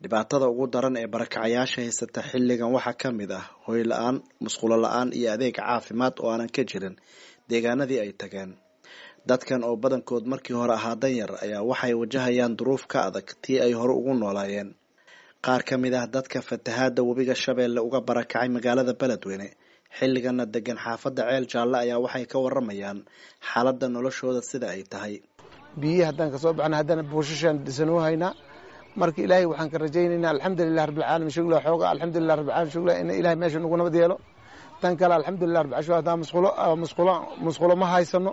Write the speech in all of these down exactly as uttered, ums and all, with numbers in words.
Dhibaatada ugu daran ee barakacayaasha haysata xilligan waxaa ka mid ah hoy la'aan, musqulo la'aan iyo adeeg caafimaad oo aanan ka jirin deegaanadii ay tageen. Dadkan oo badankood markii hore ahaa danyar ayaa waxay wajahayaan duruuf ka adag tii ay hore ugu noolaayeen. Qaar ka mid ah dadka fatahaada webiga Shabeelle uga barakacay magaalada Beledweyne xilligana degan xaafadda Ceel Jaalle ayaa waxay ka waramayaan xaaladda noloshooda sida ay tahay. Biyihii haddaan kasoo baxna haddana buushashaan dhisanoo haynaa. Marka ilaahay waxaan ka rajaynaynaa alxamdulilah rabbilcaalamiin shugla xooga alxamdulilah rabbilcaalamiin shugla in ilaahay meesha nagu nabad yeelo. Tan kale alxamdulilah rabbil caalamiin haddaan musqulo musqulo musqulo ma haysano.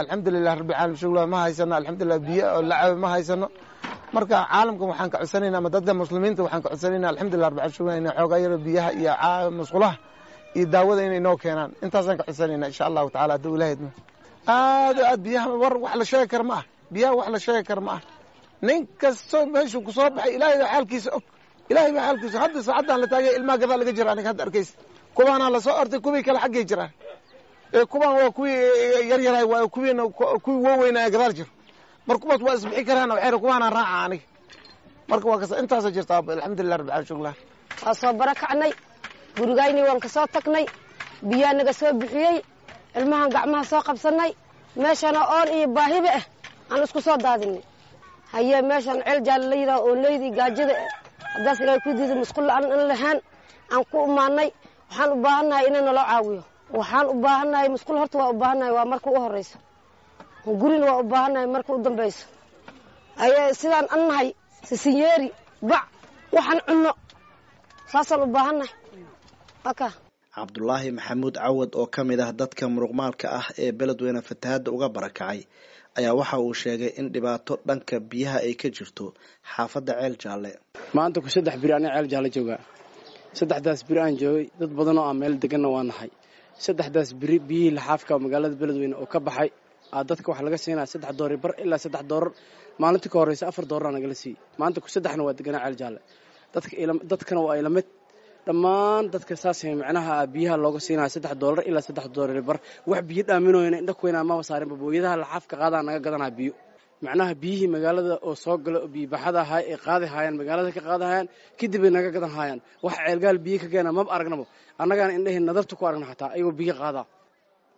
Alxamdulilah rabbilcaalamiin shugla ma haysano, alxamdulilah biyo oo la cabo ma haysano. Marka caalamkan waxaan ka codsanaynaa ama dadka muslimiinta waxaan ka codsanaynaa alxamdulilah rabbil caalamiin shugla inay xoogaa yaro biyaha iyo musqulaha iyo daawada inay noo keenaan. Intaasaan ka codsanaynaa insha allahu tacaala hadduu ilaahay idmo. Aad aad biyaha war wax la sheegi kara ma ah, biyaha wax la sheegi kara ma ah. Nin kastoo meeshuu ku soo baxay ilaahay baa xaalkiisa og, ilaahay baa xaalkiisa. Hadda saacaddan la taagay ilmaha gadaal laga jira, aniga hadda arkaysa kuwaanaa lasoo ortay, kuwii kale xaggay jiraan. Kuwaan waa kuwii yaryaraay, waa kuwiina kuwii waaweynaya gadaal jiro. Mar kuwaas waa isbixi karaan, waxay kuwaanaa raaca aniga. Marka waa kasta intaasa jirta alxamdulilah rabbil caalamiin shukla. Waa soo barakacnay, gurigayni waan kasoo tagnay, biyaa naga soo bixiyey, ilmahan gacmaha soo qabsanay, meeshana oon iyo baahiba ah aan isku soo daadinay. Haye meeshaan Ceel Jaalle la yidhaho oo leydii gaajada haddaas ilaahay ku diiday musqul la'aan in lahaan aan ku imaanay. Waxaan u baahannahay inay naloo caawiyo. Waxaan u baahannahay musqul, horta waa u baahannahay, waa marka u horreyso. Gurina waa u baahannahay marka u dambayso. Haye sidaan an nahay sisinyeeri bac waxaan cunno saasaan u baahannahay aka. Cabdulaahi Maxamuud Cawad oo ka mid ah dadka muruqmaalka ah ee Beledweyne fatahaadda uga barakacay ayaa waxa uu sheegay in dhibaato dhanka biyaha ay ka jirto xaafadda Ceel Jaalle. Maanta ku saddex biri aniga Ceel Jaalle joogaa. Saddexdaas biri aan joogay dad badan oo aan meel deganna waa nahay. Saddexdaas biri biyihii laxaafka magaalada Beledweyne oo ka baxay aa dadka waxaa laga siinaya saddex doori bar ilaa saddex doorar. Maalintii ka horreysa afar doorar nagala siiyey. Maanta ku saddexna waa deganaa Ceel Jaalle. Dadka dadkana waa ila mid dhammaan dadka saas macnaha biyaha looga siinaya saddex doolar ilaa saddex doolar bar. Wax biyo dhaaminooyna indha kuweynaa maba saarinba, booyadaha laxaafka qaadaa naga gadanaa biyo. Macnaha biyihii magaalada oo soo gala oo biyobaxada ahaa ay qaadi haayaan magaalada ka qaadi haayaan kadib ay naga gadan haayaan. Wax ceelgaal biyo ka keena maba aragnaba, annagaana indhaheen nadarta ku aragna xataa ayagoo biyo qaadaa.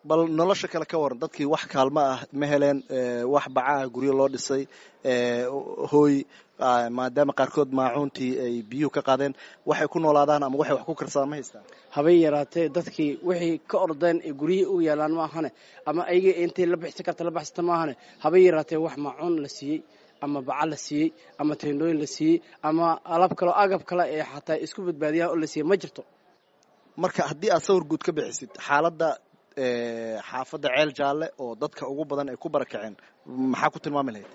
Bal nolosha kale ka waran, dadkii wax kaalmo ah ma heleen, wax bacaha guryo loo dhisay hooy, maadaama qaarkood maacuuntii ay biyuhu ka qaadeen, waxay ku noolaadaan ama waxay wax ku karsadaan ma haystaan? Habay yaraatee dadkii wixii ka ordeen ee guryihii u yaalaan ma ahane, ama ayaga intay la bixsan karta la baxsata ma ahane. Habay yaraatee wax maacuun la siiyey ama baca la siiyey ama teendhooyin la siiyey ama alaab kaleo agab kale ee xataa isku badbaadiyaan oo la siiyey ma jirto. Marka haddii aad sawir guud ka bixisid xaaladda xaafadda Ceel Jaalle oo dadka ugu badan ay ku barakaceen, maxaa ku tilmaami lahayd?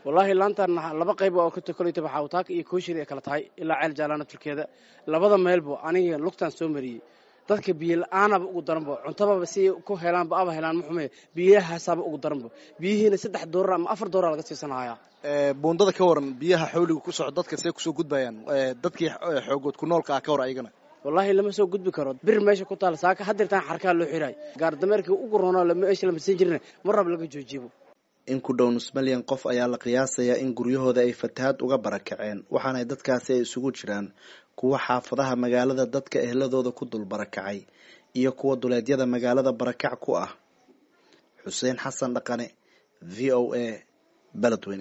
Wallaahi laantan laba qayb oo ka koleytaba xawtaaka iyo kooshiri ay kala tahay ilaa Ceel Jaallana turkeeda labada meelbo aniga lugtaan soo mariyey. Dadka biyo la-aanaba ugu daranbo, cuntababa si ku helaanba aba helaan ma xume, biyahaasaaba ugu daranbo. Biyihiina saddex doorar ama afar doorar laga siisanhayaa. Buundada ka waran, biyaha xawliga ku soco dadka see kusoo gudbayaan? Dadkii xoogood ku noolka ah ka hor ayagana wallaahi lama soo gudbi karo. Bir meesha ku taal saaka hadirtaan xarkaa loo xiraay gaardameerkii ugu roonoo meesha lama siin jirin mar rab laga joojibo. In ku dhow nus milyan qof ayaa la qiyaasayaa in guryahooda ay fatahaad uga barakaceen, waxaana dadkaasi ay isugu jiraan kuwa xaafadaha magaalada dadka ehladooda ku dul barakacay iyo kuwa duleedyada magaalada barakac ku ah. Xuseen Xasan Dhaqane, V O A, Beledweyne.